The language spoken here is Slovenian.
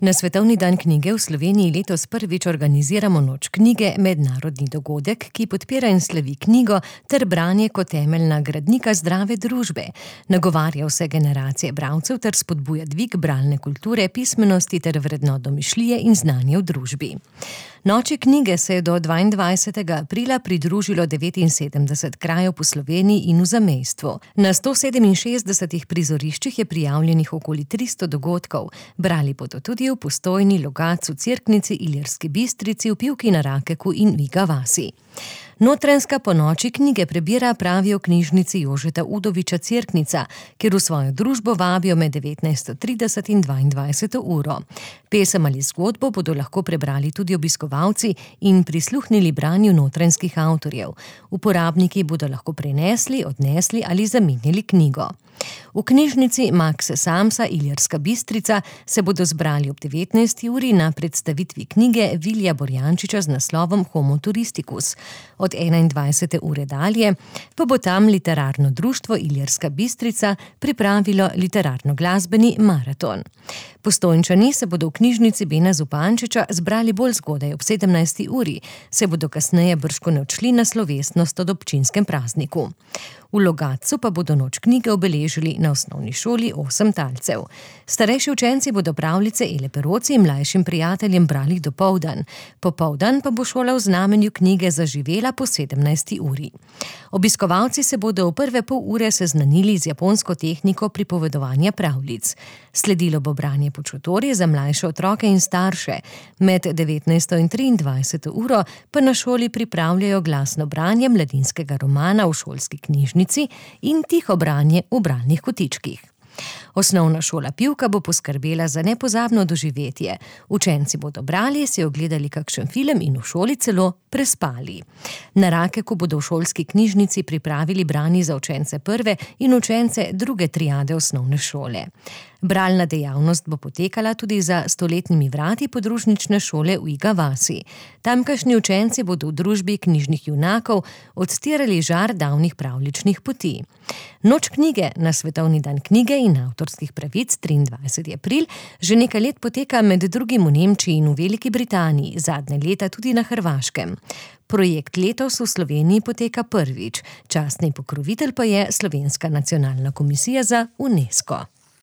Na Svetovni dan knjige v Sloveniji letos prvič organiziramo Noč knjige, mednarodni dogodek, ki podpira in slavi knjigo ter branje kot temeljna gradnika zdrave družbe. Nagovarja vse generacije bralcev ter spodbuja dvig bralne kulture, pismenosti ter vrednot domišljije in znanja v družbi. Noči knjige se je do 22. aprila pridružilo 79 krajev po Sloveniji in v zamejstvu. Na 167 prizoriščih je prijavljenih okoli 300 dogodkov. Brali bodo tudi v Postojni, Logatcu, Cerknici, Ilirski Bistrici, v Pivki na Rakeku in Viga vasi. Notranjska po noči knjige prebira, pravijo v knjižnici Jožeta Udoviča Cerknica, kjer v svojo družbo vabijo med 19:30 in 22. uro. Pesem ali zgodbo bodo lahko prebrali tudi obiskovalci in prisluhnili branju notranjskih avtorjev. Uporabniki bodo lahko prenesli, odnesli ali zamenjali knjigo. V knjižnici Max Samsa Ilirska Bistrica se bodo zbrali ob 19. uri na predstavitvi knjige Vilija Borjančiča z naslovom Homo turisticus. Od 21. ure dalje pa bo tam literarno društvo Ilirska Bistrica pripravilo literarno-glasbeni maraton. Postojnčani se bodo v knjižnici Bena Zupančiča zbrali bolj zgodaj ob 17. uri, se bodo kasneje bržkone odšli na slovesnost ob občinskem prazniku. V Logatcu pa bodo Noč knjige obeležili na osnovni šoli 8 talcev. Starejši učenci bodo pravljice Ele Peroci in mlajšim prijateljem brali dopoldan. Popoldan pa bo šola v znamenju knjige zaživela po 17. uri. Obiskovalci se bodo v prve pol ure seznanili z japonsko tehniko pripovedovanja pravljic. Sledilo bo branje počutorje za mlajše otroke in starše. Med 19. in 23. uro pa na šoli pripravljajo glasno branje mladinskega romana v šolski knjižnici in tiho branje v bralnih kotičkih. Osnovna šola Pivka bo poskrbela za nepozabno doživetje. Učenci bodo brali, si ogledali kakšen film in v šoli celo prespali. Na Rakeku bodo v šolski knjižnici pripravili branje za učence prve in učence druge triade osnovne šole. Bralna dejavnost bo potekala tudi za stoletnimi vrati podružnične šole v Viga vasi. Tamkajšnji učenci bodo v družbi knjižnih junakov odstirali žar davnih pravljičnih poti. Noč knjige na Svetovni dan knjige in avtorskih pravic 23. april že nekaj let poteka med drugim v Nemčiji in v Veliki Britaniji, zadnje leta tudi na Hrvaškem. Projekt letos v Sloveniji poteka prvič, častni pokrovitelj pa je Slovenska nacionalna komisija za UNESCO.